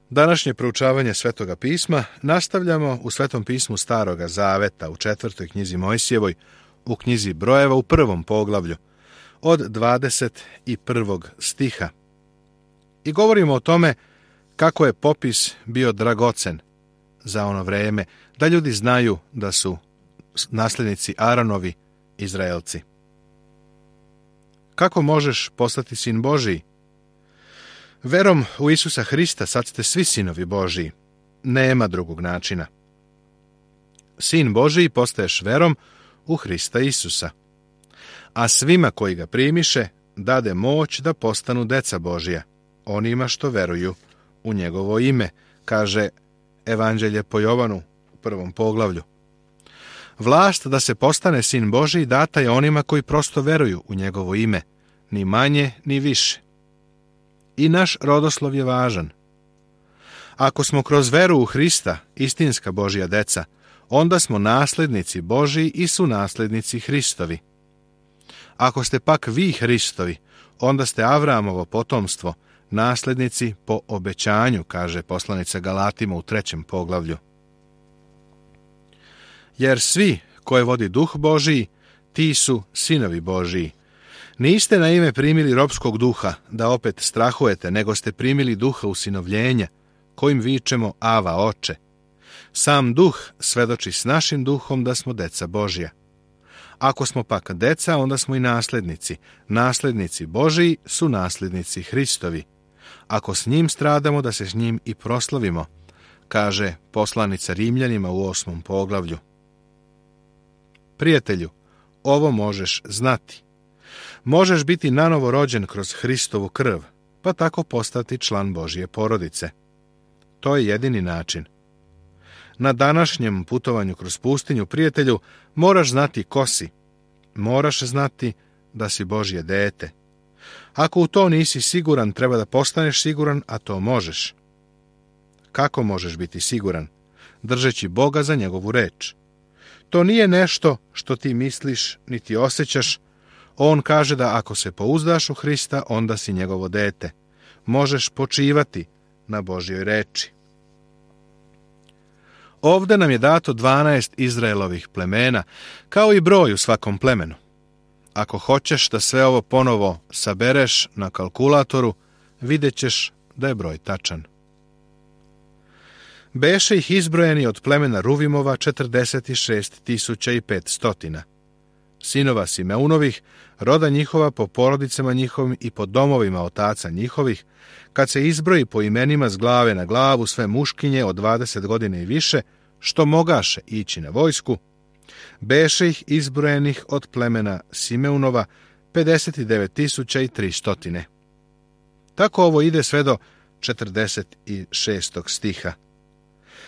Današnje proučavanje Svetoga pisma nastavljamo u Svetom pismu Staroga Zaveta u 4. knjizi Mojsijevoj, u knjizi Brojeva u 1. poglavlju, od 21. stiha. I govorimo o tome kako je popis bio dragocen za ono vreme, da ljudi znaju da su nasljednici Aaronovi Izraelci. Kako možeš postati sin Božiji? Verom u Isusa Hrista sad ste svi sinovi Božiji. Nema drugog načina. Sin Božiji postaješ verom u Hrista Isusa. A svima koji ga primiše, dade moć da postanu deca Božija, onima što veruju u njegovo ime, kaže Evanđelje po Jovanu u 1. poglavlju. Vlast da se postane sin Božiji data je onima koji prosto veruju u njegovo ime, ni manje ni više. I naš rodoslov je važan. Ako smo kroz veru u Hrista istinska Božja deca, onda smo nasljednici Božiji i su nasljednici Hristovi. Ako ste pak vi Hristovi, onda ste Avramovo potomstvo, nasljednici po obećanju, kaže poslanica Galatima u 3. poglavlju. Jer svi koje vodi Duh Božiji, ti su sinovi Božiji. Niste na ime primili ropskog duha, da opet strahujete, nego ste primili duha usinovljenja, kojim vičemo Ava, Oče. Sam duh svedoči s našim duhom da smo deca Božja. Ako smo pak deca, onda smo i nasljednici. Nasljednici Božiji su nasljednici Hristovi. Ako s njim stradamo, da se s njim i proslavimo, kaže poslanica Rimljanima u 8. poglavlju. Prijatelju, ovo možeš znati. Možeš biti nanovo rođen kroz Hristovu krv, pa tako postati član Božje porodice. To je jedini način. Na današnjem putovanju kroz pustinju, prijatelju, moraš znati ko si. Moraš znati da si Božje dete. Ako u to nisi siguran, treba da postaneš siguran, a to možeš. Kako možeš biti siguran? Držeći Boga za njegovu reč. To nije nešto što ti misliš, niti osjećaš. On kaže da ako se pouzdaš u Hrista, onda si njegovo dete. Možeš počivati na Božjoj reči. Ovde nam je dato 12 Izraelovih plemena, kao i broj u svakom plemenu. Ako hoćeš da sve ovo ponovo sabereš na kalkulatoru, vidjet ćeš da je broj tačan. Beše ih izbrojeni od plemena Ruvimova 46.500. Sinova Simeunovih, roda njihova po porodicama njihovim i po domovima otaca njihovih, kad se izbroji po imenima s glave na glavu sve muškinje od 20 godina i više, što mogaše ići na vojsku, beše ih izbrojenih od plemena Simeunova 59.300. Tako ovo ide sve do 46. stiha.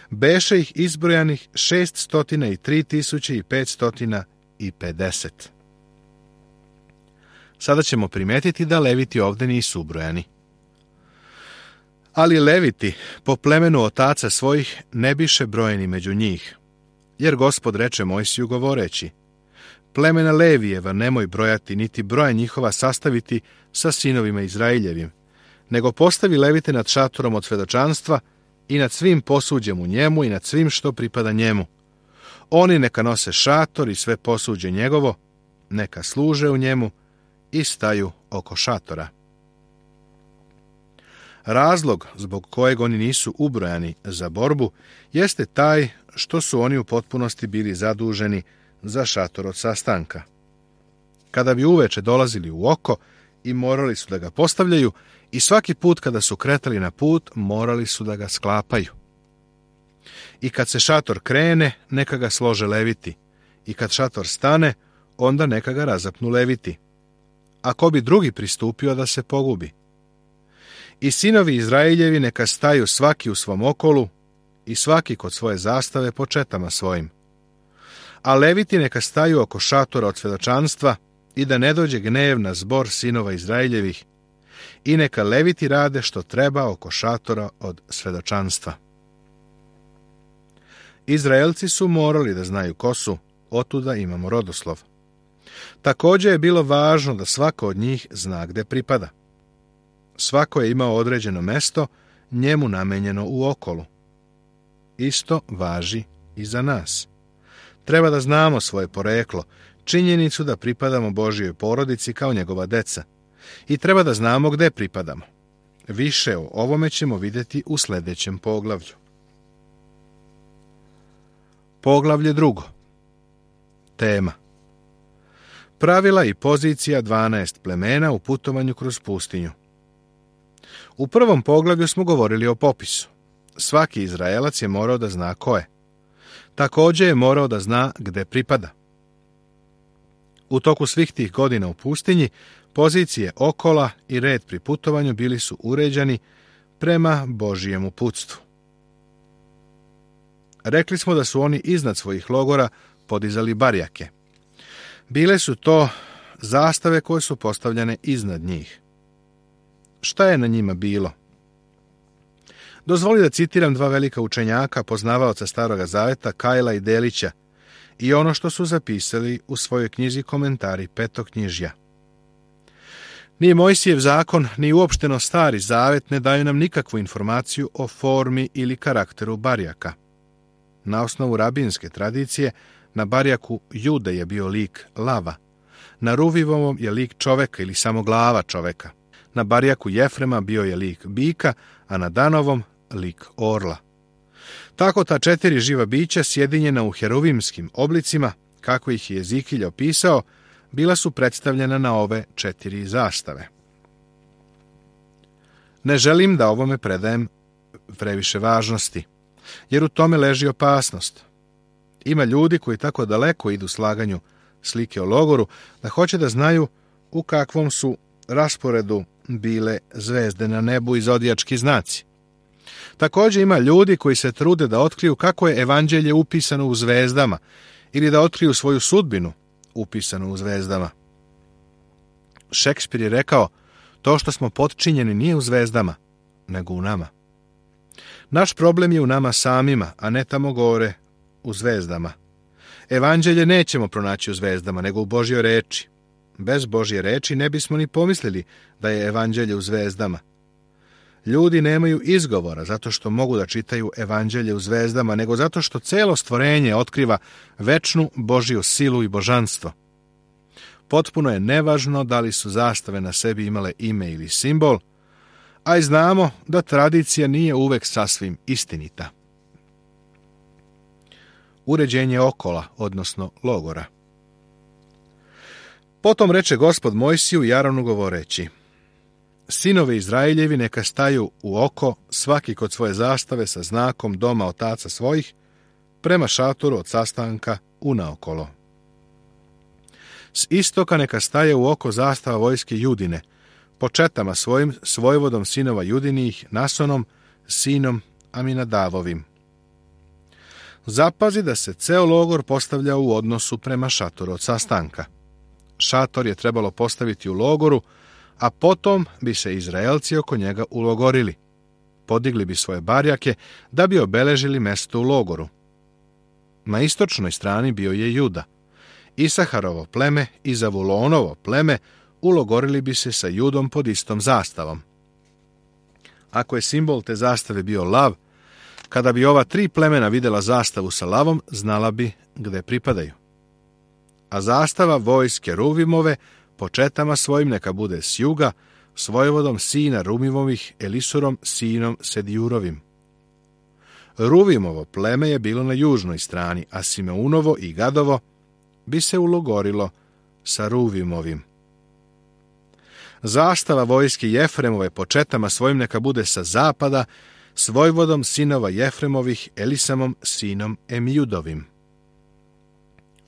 Beše ih izbrojanih 603.550. Sada ćemo primetiti da Leviti ovdje nisu ubrojani. Ali Leviti po plemenu otaca svojih ne biše brojeni među njih, jer Gospod reče Mojsiju govoreći: plemena Levijeva nemoj brojati, niti broja njihova sastaviti sa sinovima Izraeljevim, nego postavi Levite nad šatorom od svedočanstva i nad svim posuđem u njemu i nad svim što pripada njemu. Oni neka nose šator i sve posuđe njegovo, neka služe u njemu i staju oko šatora. Razlog zbog kojeg oni nisu ubrojani za borbu jeste taj što su oni u potpunosti bili zaduženi za šator od sastanka. Kada bi uveče dolazili u oko i morali su da ga postavljaju, i svaki put kada su kretali na put, morali su da ga sklapaju. I kad se šator krene, neka ga slože Leviti, i kad šator stane, onda neka ga razapnu Leviti. A ko bi drugi pristupio da se pogubi? I sinovi Izraeljevi neka staju svaki u svom okolu i svaki kod svoje zastave po četama svojim. A Leviti neka staju oko šatora od svedočanstva i da ne dođe gnev na zbor sinova Izraeljevih, i neka Leviti rade što treba oko šatora od svedočanstva. Izraelci su morali da znaju ko su, otuda imamo rodoslov. Također je bilo važno da svako od njih zna gde pripada. Svako je imao određeno mesto njemu namenjeno u okolu. Isto važi i za nas. Treba da znamo svoje poreklo, činjenicu da pripadamo Božjoj porodici kao njegova deca. I treba da znamo gde pripadamo. Više o ovome ćemo vidjeti u sljedećem poglavlju. Poglavlje 2. Tema: pravila i pozicija 12 plemena u putovanju kroz pustinju. U prvom poglavlju smo govorili o popisu. Svaki Izraelac je morao da zna ko je. Također je morao da zna gde pripada. U toku svih tih godina u pustinji, pozicije okola i red pri putovanju bili su uređeni prema Božijem uputstvu. Rekli smo da su oni iznad svojih logora podizali barjake. Bile su to zastave koje su postavljene iznad njih. Šta je na njima bilo? Dozvoli da citiram dva velika učenjaka, poznavaoca Staroga Zaveta, Kajla i Delića, i ono što su zapisali u svojoj knjizi Komentari Petoknjižja. Ni Mojsijev zakon, ni uopšteno Stari Zavet ne daju nam nikakvu informaciju o formi ili karakteru barjaka. Na osnovu rabinske tradicije, na barjaku Jude je bio lik lava, na Ruvivovom je lik čoveka ili samo glava čoveka, na barjaku Jefrema bio je lik bika, a na Danovom lik orla. Tako ta 4 živa bića sjedinjena u heruvimskim oblicima, kako ih je Ezikilj opisao, bila su predstavljena na ove 4 zastave. Ne želim da ovome predajem previše važnosti, jer u tome leži opasnost. Ima ljudi koji tako daleko idu slaganju slike o logoru, da hoće da znaju u kakvom su rasporedu bile zvezde na nebu i zodijački znaci. Također ima ljudi koji se trude da otkriju kako je evanđelje upisano u zvezdama ili da otkriju svoju sudbinu upisanu u zvezdama. Šekspir je rekao, to što smo potčinjeni nije u zvezdama, nego u nama. Naš problem je u nama samima, a ne tamo gore u zvezdama. Evanđelje nećemo pronaći u zvezdama, nego u Božjoj reči. Bez Božje reči ne bismo ni pomislili da je evanđelje u zvezdama. Ljudi nemaju izgovora zato što mogu da čitaju evanđelje u zvezdama, nego zato što celo stvorenje otkriva večnu Božju silu i božanstvo. Potpuno je nevažno da li su zastave na sebi imale ime ili simbol, a i znamo da tradicija nije uvek sasvim istinita. Uređenje okola, odnosno logora. Potom reče Gospod Mojsiju i Aronu govoreći: sinovi Izraeljevi neka staju u oko, svaki kod svoje zastave sa znakom doma otaca svojih, prema šatoru od sastanka unaokolo. S istoka neka staje u oko zastava vojske Judine, po četama svojim, s vojvodom sinova Judinih, Nasonom, sinom Aminadavovim. Zapazi da se ceo logor postavlja u odnosu prema šatoru od sastanka. Šator je trebalo postaviti u logoru, a potom bi se Izraelci oko njega ulogorili. Podigli bi svoje barjake da bi obeležili mesto u logoru. Na istočnoj strani bio je Juda. Isaharovo pleme i Zavulonovo pleme ulogorili bi se sa Judom pod istom zastavom. Ako je simbol te zastave bio lav, kada bi ova 3 plemena vidjela zastavu sa lavom, znala bi gde pripadaju. A zastava vojske Ruvimove po četama svojim neka bude s juga, s vojvodom sina Rumimovih, Elisurom, sinom Sedjurovim. Ruvimovo pleme je bilo na južnoj strani, a Simeunovo i Gadovo bi se ulogorilo sa Ruvimovim. Zastava vojske Jefremove po četama svojim neka bude sa zapada, s vojvodom sinova Jefremovih, Elisamom, sinom Emjudovim.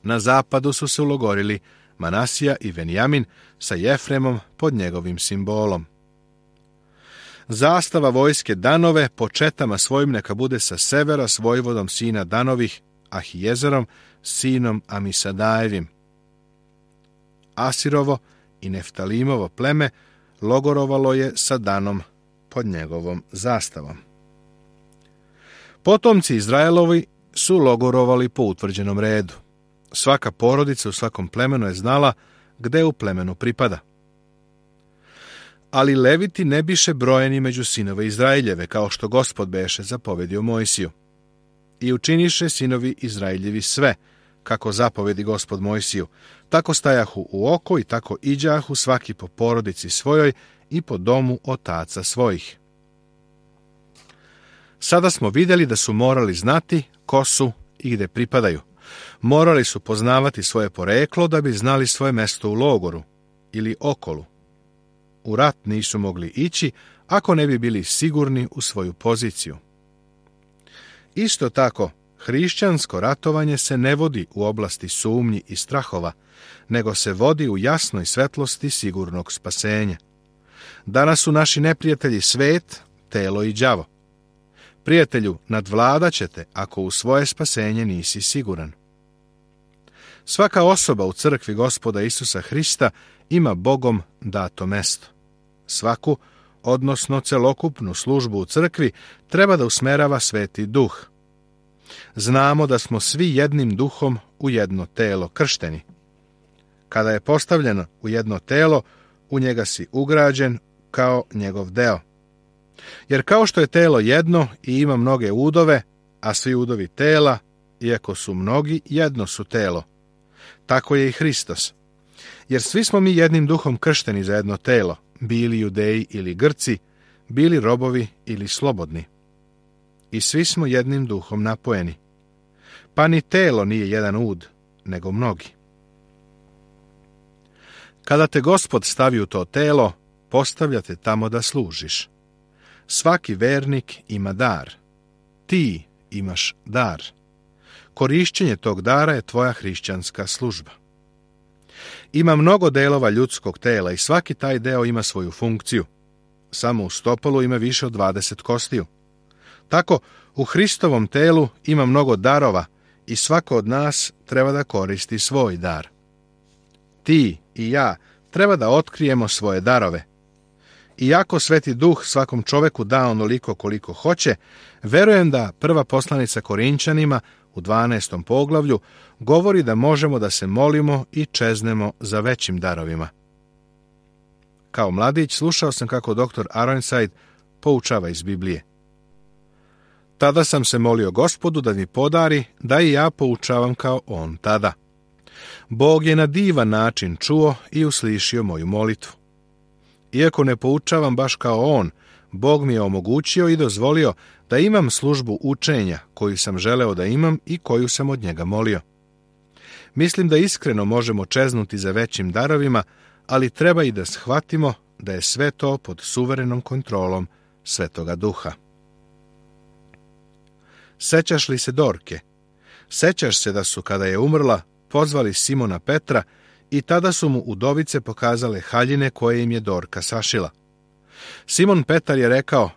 Na zapadu su se ulogorili Manasija i Venjamin sa Jefremom pod njegovim simbolom. Zastava vojske Danove po četama svojim neka bude sa severa s vojvodom sina Danovih, Ahijezerom, sinom Amisadajevim. Asirovo i Neftalimovo pleme logorovalo je sa Danom pod njegovom zastavom. Potomci Izraelovi su logorovali po utvrđenom redu. Svaka porodica u svakom plemenu je znala gde u plemenu pripada. Ali leviti ne biše brojeni među sinove Izraeljeve, kao što Gospod beše zapovedio Mojsiju. I učiniše sinovi Izraeljevi sve, kako zapovedi Gospod Mojsiju, tako stajahu u oko i tako iđahu svaki po porodici svojoj i po domu otaca svojih. Sada smo vidjeli da su morali znati ko su i gde pripadaju. Morali su poznavati svoje poreklo da bi znali svoje mesto u logoru ili okolu. U rat nisu mogli ići ako ne bi bili sigurni u svoju poziciju. Isto tako, hrišćansko ratovanje se ne vodi u oblasti sumnji i strahova, nego se vodi u jasnoj svetlosti sigurnog spasenja. Danas su naši neprijatelji svet, telo i đavo. Prijatelju, nadvladat ćete ako u svoje spasenje nisi siguran. Svaka osoba u crkvi Gospoda Isusa Hrista ima Bogom dato mesto. Svaku, odnosno celokupnu službu u crkvi, treba da usmerava Sveti Duh. Znamo da smo svi jednim duhom u jedno telo kršteni. Kada je postavljeno u jedno telo, u njega si ugrađen kao njegov deo. Jer kao što je telo jedno i ima mnoge udove, a svi udovi tela, iako su mnogi, jedno su telo. Tako je i Hristos. Jer svi smo mi jednim duhom kršteni za jedno telo, bili Judeji ili Grci, bili robovi ili slobodni. I svi smo jednim duhom napojeni. Pa ni telo nije jedan ud, nego mnogi. Kada te Gospod stavi u to telo, postavlja te tamo da služiš. Svaki vernik ima dar. Ti imaš dar. Korišćenje tog dara je tvoja hrišćanska služba. Ima mnogo delova ljudskog tela i svaki taj deo ima svoju funkciju. Samo u stopalo ima više od 20 kostiju. Tako, u Hristovom telu ima mnogo darova i svako od nas treba da koristi svoj dar. Ti i ja treba da otkrijemo svoje darove. Iako Sveti Duh svakom čoveku da onoliko koliko hoće, verujem da prva poslanica Korinčanima u 12. poglavlju govori da možemo da se molimo i čeznemo za većim darovima. Kao mladić slušao sam kako dr. Ironside poučava iz Biblije. Tada sam se molio Gospodu da mi podari da i ja poučavam kao on tada. Bog je na divan način čuo i uslišio moju molitvu. Iako ne poučavam baš kao on, Bog mi je omogućio i dozvolio da imam službu učenja koju sam želeo da imam i koju sam od njega molio. Mislim da iskreno možemo čeznuti za većim darovima, ali treba i da shvatimo da je sve to pod suverenom kontrolom Svetoga Duha. Sećaš li se Dorke? Sećaš se da su, kada je umrla, pozvali Simona Petra i tada su mu udovice pokazale haljine koje im je Dorka sašila. Simon Petar je rekao,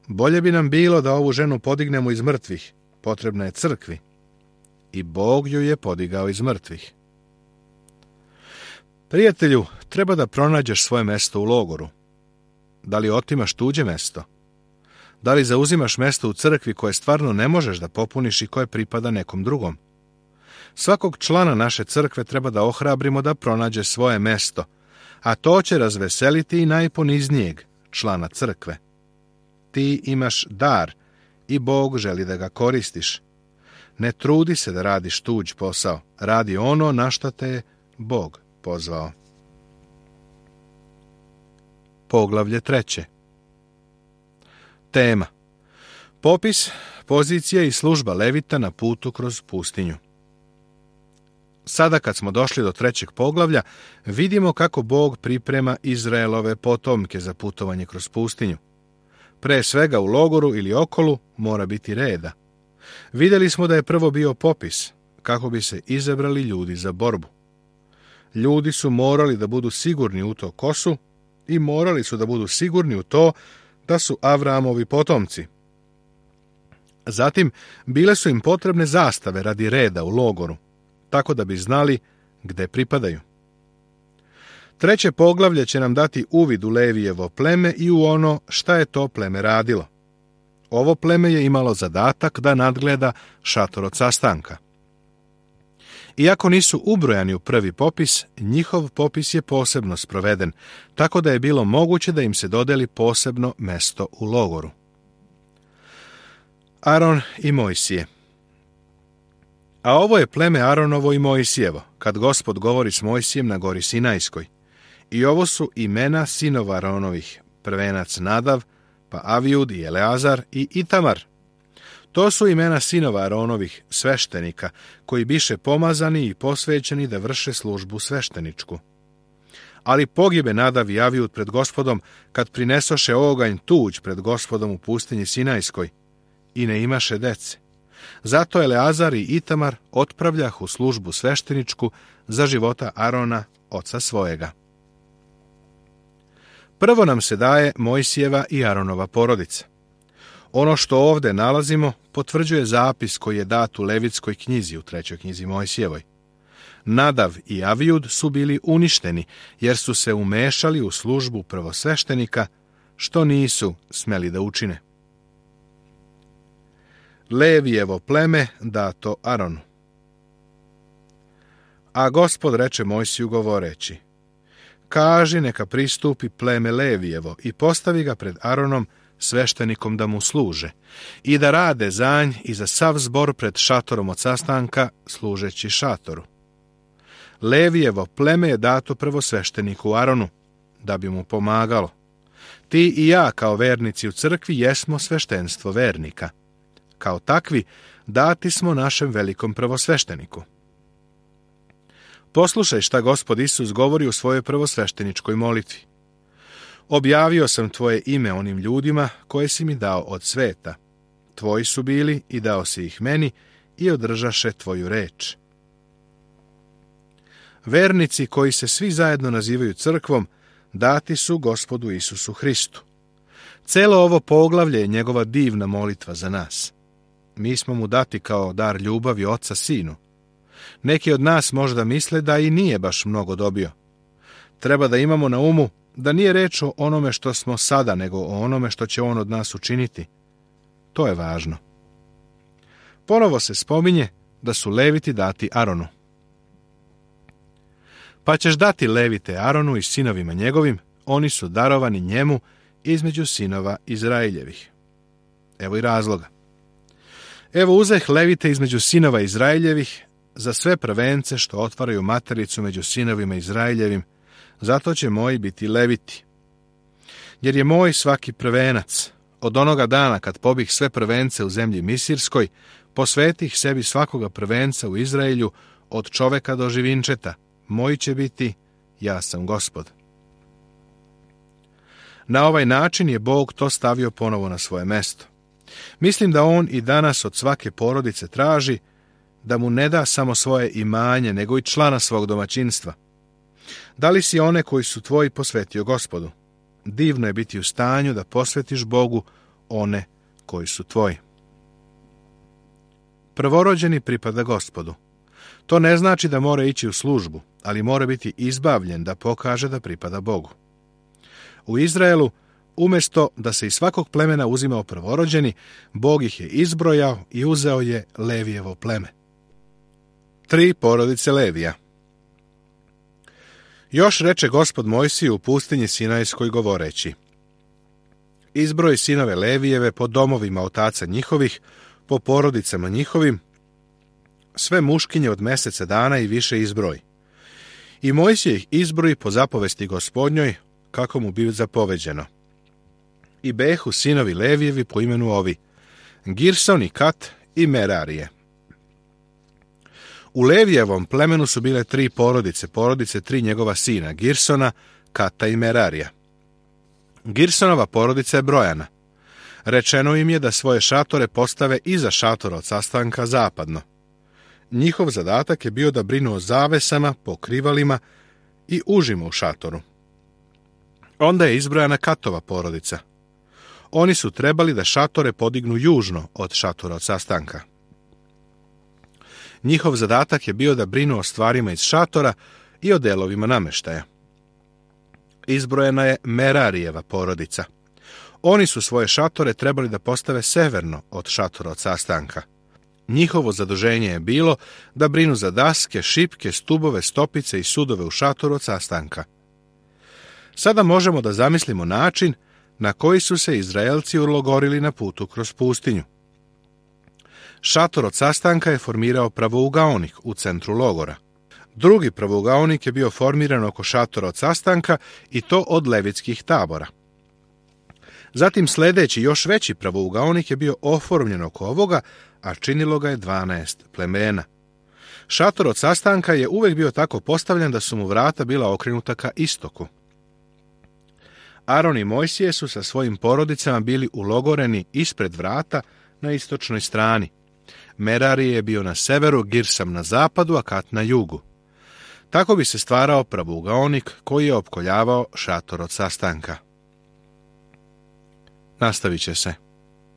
bolje bi nam bilo da ovu ženu podignemo iz mrtvih, potrebna je crkvi. I Bog ju je podigao iz mrtvih. Prijatelju, treba da pronađeš svoje mesto u logoru. Da li otimaš tuđe mesto? Da li zauzimaš mesto u crkvi koje stvarno ne možeš da popuniš i koje pripada nekom drugom? Svakog člana naše crkve treba da ohrabrimo da pronađe svoje mesto, a to će razveseliti i najponiznijeg člana crkve. Ti imaš dar i Bog želi da ga koristiš. Ne trudi se da radiš tuđ posao, radi ono na šta te je Bog pozvao. Poglavlje 3. Tema: popis, pozicija i služba Levita na putu kroz pustinju. Sada kad smo došli do 3. poglavlja, vidimo kako Bog priprema Izraelove potomke za putovanje kroz pustinju. Pre svega u logoru ili okolu mora biti reda. Vidjeli smo da je prvo bio popis, kako bi se izabrali ljudi za borbu. Ljudi su morali da budu sigurni u to ko su i morali su da budu sigurni u to da su Avramovi potomci. Zatim, bile su im potrebne zastave radi reda u logoru, tako da bi znali gde pripadaju. 3. poglavlje će nam dati uvid u Levijevo pleme i u ono šta je to pleme radilo. Ovo pleme je imalo zadatak da nadgleda šator od sastanka. Iako nisu ubrojani u prvi popis, njihov popis je posebno sproveden, tako da je bilo moguće da im se dodeli posebno mesto u logoru. Aron i Mojsije. A ovo je pleme Aronovo i Mojsijevo, kad Gospod govori s Mojsijem na gori Sinajskoj. I ovo su imena sinova Aronovih, prvenac Nadav, pa Avijud i Eleazar i Itamar. To su imena sinova Aronovih, sveštenika, koji biše pomazani i posvećeni da vrše službu svešteničku. Ali pogibe Nadav i Avijud pred Gospodom, kad prinesoše oganj tuđ pred Gospodom u pustinji Sinajskoj, i ne imaše dece. Zato Eleazar i Itamar otpravljahu službu svešteničku za života Arona, oca svojega. Prvo nam se daje Mojsijeva i Aronova porodica. Ono što ovde nalazimo potvrđuje zapis koji je dat u Levitskoj knjizi, u 3. knjizi Mojsijevoj. Nadav i Avijud su bili uništeni, jer su se umešali u službu prvosveštenika, što nisu smeli da učine. Levijevo pleme dato Aronu. A Gospod reče Mojsiju govoreći: kaži neka pristupi pleme Levijevo i postavi ga pred Aronom, sveštenikom, da mu služe, i da rade za nj i za sav zbor pred šatorom od sastanka, služeći šatoru. Levijevo pleme je dato prvosvešteniku Aronu, da bi mu pomagalo. Ti i ja, kao vernici u crkvi, jesmo sveštenstvo vernika. Kao takvi, dati smo našem velikom prvosvešteniku. Poslušaj šta Gospod Isus govori u svojoj prvosvešteničkoj molitvi. Objavio sam tvoje ime onim ljudima koje si mi dao od sveta. Tvoji su bili i dao si ih meni i održaše tvoju reč. Vernici koji se svi zajedno nazivaju crkvom, dati su Gospodu Isusu Hristu. Celo ovo poglavlje je njegova divna molitva za nas. Mi smo mu dati kao dar ljubavi oca sinu. Neki od nas možda misle da i nije baš mnogo dobio. Treba da imamo na umu da nije reč o onome što smo sada, nego o onome što će on od nas učiniti. To je važno. Ponovo se spominje da su Leviti dati Aronu. Pa ćeš dati Levite Aronu i sinovima njegovim, oni su darovani njemu između sinova Izraeljevih. Evo i razloga. Evo uzeh Levite između sinova Izraeljevih za sve prvence što otvaraju matericu među sinovima Izraeljevim, zato će moji biti Leviti. Jer je moj svaki prvenac, od onoga dana kad pobih sve prvence u zemlji Misirskoj, posvetih sebi svakoga prvenca u Izraelju, od čoveka do živinčeta, moj će biti, ja sam Gospod. Na ovaj način je Bog to stavio ponovo na svoje mesto. Mislim da on i danas od svake porodice traži da mu ne da samo svoje imanje, nego i člana svog domaćinstva. Da li si one koji su tvoji posvetio Gospodu? Divno je biti u stanju da posvetiš Bogu one koji su tvoji. Prvorođeni pripada Gospodu. To ne znači da mora ići u službu, ali mora biti izbavljen da pokaže da pripada Bogu. U Izraelu, umjesto da se iz svakog plemena uzimao prvorođeni, Bog ih je izbrojao i uzeo je Levijevo pleme. 3 porodice Levija. Još reče Gospod Mojsiju u pustinji Sinajskoj govoreći: izbroj sinove Levijeve po domovima otaca njihovih, po porodicama njihovim, sve muškinje od meseca dana i više izbroj. I Mojsije ih izbroji po zapovesti Gospodnjoj, kako mu bi zapoveđeno. I behu sinovi Levijevi po imenu ovi: Girson i Kat i Merarije. U Levijevom plemenu su bile 3 porodice, porodice 3 njegova sina, Girsona, Kata i Merarija. Girsonova porodica je brojana. Rečeno im je da svoje šatore postave iza šatora od sastanka zapadno. Njihov zadatak je bio da brinu o zavesama, pokrivalima i užima u šatoru. Onda je izbrojana Katova porodica. Oni su trebali da šatore podignu južno od šatora od sastanka. Njihov zadatak je bio da brinu o stvarima iz šatora i o delovima nameštaja. Izbrojena je Merarijeva porodica. Oni su svoje šatore trebali da postave severno od šatora od sastanka. Njihovo zaduženje je bilo da brinu za daske, šipke, stubove, stopice i sudove u šatoru od sastanka. Sada možemo da zamislimo način na koji su se Izraelci ulogorili na putu kroz pustinju. Šator od sastanka je formirao pravougaonik u centru logora. Drugi pravougaonik je bio formiran oko šatora od sastanka i to od levitskih tabora. Zatim sljedeći još veći pravougaonik je bio oformljen oko ovoga, a činilo ga je 12 plemena. Šator od sastanka je uvijek bio tako postavljen da su mu vrata bila okrenuta ka istoku. Aron i Mojsije su sa svojim porodicama bili ulogoreni ispred vrata na istočnoj strani. Merari je bio na severu, Girsam na zapadu, a Kat na jugu. Tako bi se stvarao pravougaonik koji je opkoljavao šator od sastanka. Nastavit će se.